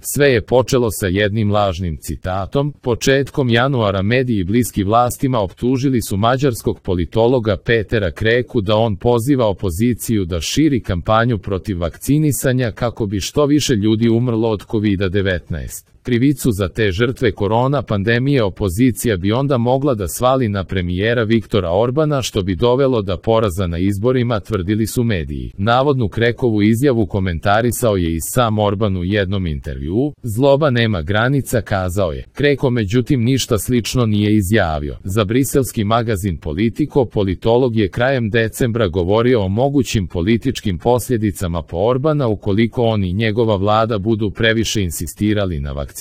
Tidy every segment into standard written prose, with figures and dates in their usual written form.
Sve je počelo sa jednim lažnim citatom. Početkom januara mediji bliski vlastima optužili su mađarskog politologa Petera Kreku da on poziva opoziciju da širi kampanju protiv vakcinisanja kako bi što više ljudi umrlo od COVID-19. Krivicu za te žrtve korona pandemije opozicija bi onda mogla da svali na premijera Viktora Orbana, što bi dovelo do poraza na izborima, tvrdili su mediji. Navodnu Krekovu izjavu komentarisao je i sam Orban u jednom intervjuu. Zloba nema granica, kazao je. Kreko međutim ništa slično nije izjavio. Za briselski magazin Politico politolog je krajem decembra govorio o mogućim političkim posljedicama po Orbana ukoliko on i njegova vlada budu previše insistirali na vakcinaciji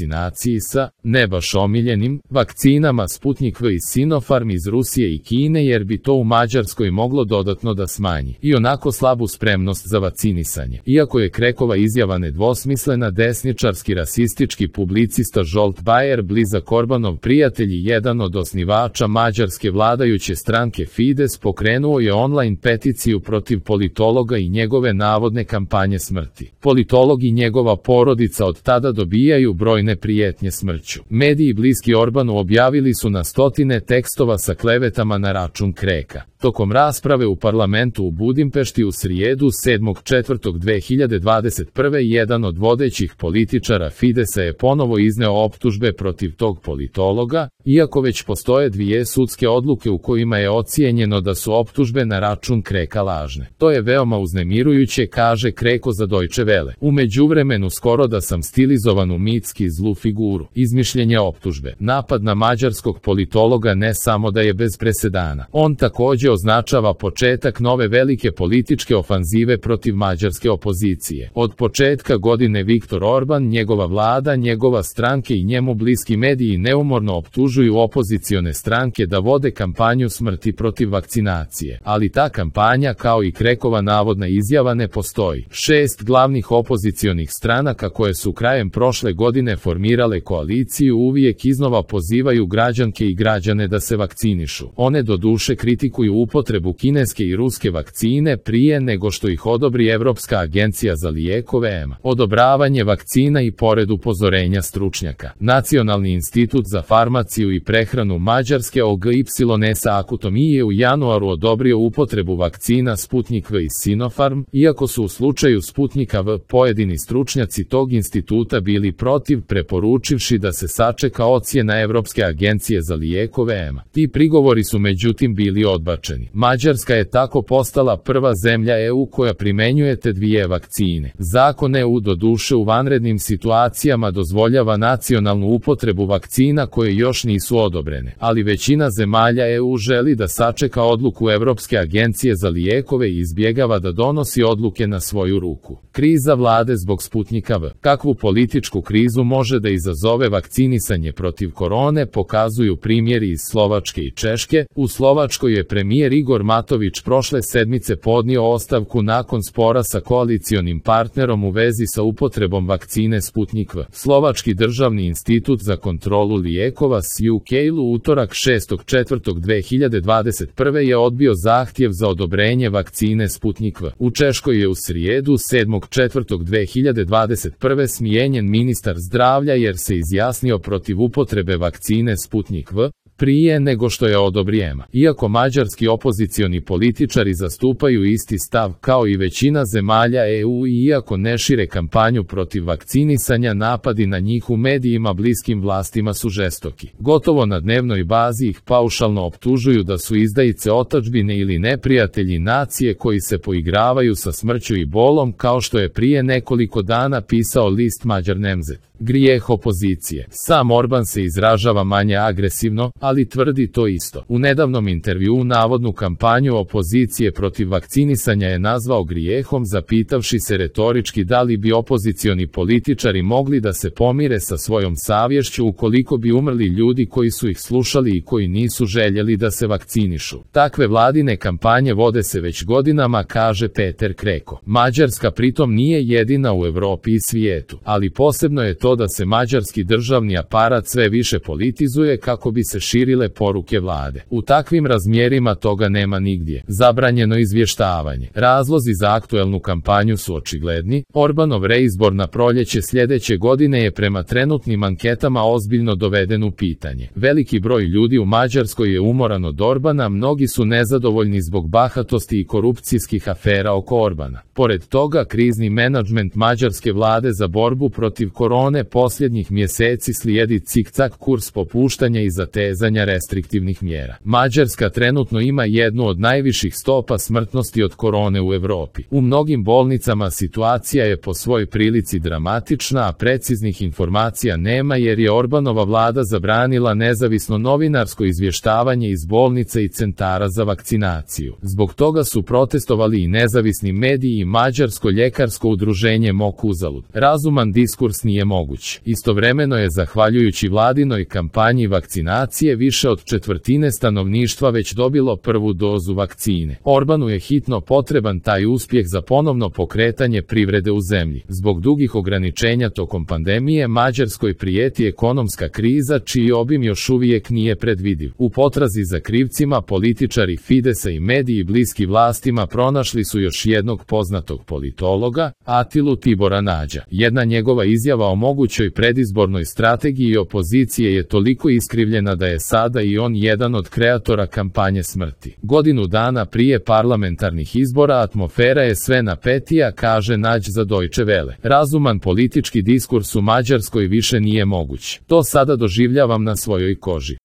sa, ne baš omiljenim, vakcinama Sputnik V i Sinopharm iz Rusije i Kine, jer bi to u Mađarskoj moglo dodatno da smanji i onako slabu spremnost za vakcinisanje. Iako je Krekova izjava nedvosmislena, desničarski rasistički publicista Zsolt Bayer, blizak Orbanov prijatelj i jedan od osnivača mađarske vladajuće stranke Fides, pokrenuo je online peticiju protiv politologa i njegove navodne kampanje smrti. Politolog i njegova porodica od tada dobijaju brojne prijetnje smrću. Mediji bliski Orbanu objavili su na stotine tekstova sa klevetama na račun Kreka. Tokom rasprave u parlamentu u Budimpešti u srijedu 7.4.2021. jedan od vodećih političara Fidesa je ponovo izneo optužbe protiv tog politologa, iako već postoje dvije sudske odluke u kojima je ocijenjeno da su optužbe na račun Kreka lažne. To je veoma uznemirujuće, kaže Kreko za Deutsche Welle. U međuvremenu skoro da sam stilizovan u mitski zlu figuru. Izmišljenje optužbe. Napad na mađarskog politologa ne samo da je bez presedana. On također označava početak nove velike političke ofanzive protiv mađarske opozicije. Od početka godine Viktor Orban, njegova vlada, njegova stranke i njemu bliski mediji neumorno optužuju opozicione stranke da vode kampanju smrti protiv vakcinacije. Ali ta kampanja, kao i Krekova navodna izjava, ne postoji. 6 glavnih opozicionih stranaka koje su krajem prošle godine formirale koaliciju uvijek iznova pozivaju građanke i građane da se vakcinišu. One doduše kritikuju upotrebu kineske i ruske vakcine prije nego što ih odobri Evropska agencija za lijekove EMA. Odobravanje vakcina i pored upozorenja stručnjaka. Nacionalni institut za farmaciju i prehranu Mađarske OGYS Akutomije je u januaru odobrio upotrebu vakcina Sputnik V i Sinopharm, iako su u slučaju Sputnika V pojedini stručnjaci tog instituta bili protiv, preporučivši da se sačeka ocjena Evropske agencije za lijekove EMA. Ti prigovori su međutim bili odbačeni. Mađarska je tako postala prva zemlja EU koja primenjuje te dvije vakcine. Zakon EU doduše u vanrednim situacijama dozvoljava nacionalnu upotrebu vakcina koje još nisu odobrene, ali većina zemalja EU želi da sačeka odluku Evropske agencije za lijekove i izbjegava da donosi odluke na svoju ruku. Kriza vlade zbog Sputnika V. Kakvu političku krizu može da izazove vakcinisanje protiv korone pokazuju primjeri iz Slovačke i Češke. U Slovačkoj je premijer Igor Matović prošle sedmice podnio ostavku nakon spora sa koalicionim partnerom u vezi sa upotrebom vakcine Sputnik V. Slovački državni institut za kontrolu lijekova SUK u utorak 6.4.2021. je odbio zahtjev za odobrenje vakcine Sputnik V. U Češkoj je u srijedu 7.4.2021. smijenjen ministar zdravlja jer se izjasnio protiv upotrebe vakcine Sputnik V prije nego što je odobri EMA. Iako mađarski opozicioni političari zastupaju isti stav kao i većina zemalja EU i iako ne šire kampanju protiv vakcinisanja, napadi na njih u medijima bliskim vlastima su žestoki. Gotovo na dnevnoj bazi ih paušalno optužuju da su izdajice otadžbine ili neprijatelji nacije koji se poigravaju sa smrću i bolom, kao što je prije nekoliko dana pisao list Mađar Nemzet. Grijeh opozicije. Sam Orban se izražava manje agresivno, ali tvrdi to isto. U nedavnom intervjuu navodnu kampanju opozicije protiv vakcinisanja je nazvao grijehom, zapitavši se retorički da li bi opozicioni političari mogli da se pomire sa svojom savješću ukoliko bi umrli ljudi koji su ih slušali i koji nisu željeli da se vakcinišu. Takve vladine kampanje vode se već godinama, kaže Peter Kreko. Mađarska pritom nije jedina u Europi i svijetu, ali posebno je to da se mađarski državni aparat sve više politizuje kako bi se širile poruke vlade. U takvim razmjerima toga nema nigdje. Zabranjeno izvještavanje. Razlozi za aktuelnu kampanju su očigledni. Orbanov reizbor na proljeće sljedeće godine je prema trenutnim anketama ozbiljno doveden u pitanje. Veliki broj ljudi u Mađarskoj je umoran od Orbana, mnogi su nezadovoljni zbog bahatosti i korupcijskih afera oko Orbana. Pored toga, krizni menadžment mađarske vlade za borbu protiv korone posljednjih mjeseci slijedi cikcak kurs popuštanja i zatezanja restriktivnih mjera. Mađarska trenutno ima jednu od najviših stopa smrtnosti od korone u Europi. U mnogim bolnicama situacija je po svojoj prilici dramatična, a preciznih informacija nema jer je Orbanova vlada zabranila nezavisno novinarsko izvještavanje iz bolnice i centara za vakcinaciju. Zbog toga su protestovali i nezavisni mediji i Mađarsko ljekarsko udruženje MOK uzalud. Razuman diskurs nije moguć. Istovremeno je zahvaljujući vladinoj kampanji vakcinacije više od četvrtine stanovništva već dobilo prvu dozu vakcine. Orbanu je hitno potreban taj uspjeh za ponovno pokretanje privrede u zemlji. Zbog dugih ograničenja tokom pandemije Mađarskoj prijeti ekonomska kriza čiji obim još uvijek nije predvidiv. U potrazi za krivcima političari Fidesa i mediji bliski vlastima pronašli su još jednog poznatog politologa, Atilu Tibora Nađa. Jedna njegova izjava o mogućoj predizbornoj strategiji opozicije je toliko iskrivljena da je sada i on jedan od kreatora kampanje smrti. Godinu dana prije parlamentarnih izbora atmosfera je sve napetija, kaže Nađ za Deutsche Welle. Razuman politički diskurs u Mađarskoj više nije moguć. To sada doživljavam na svojoj koži.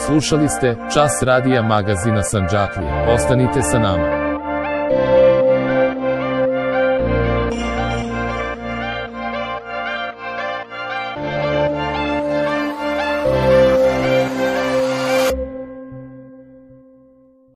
Slušali ste Čas radija magazina Sandžaklija. Ostanite sa nama.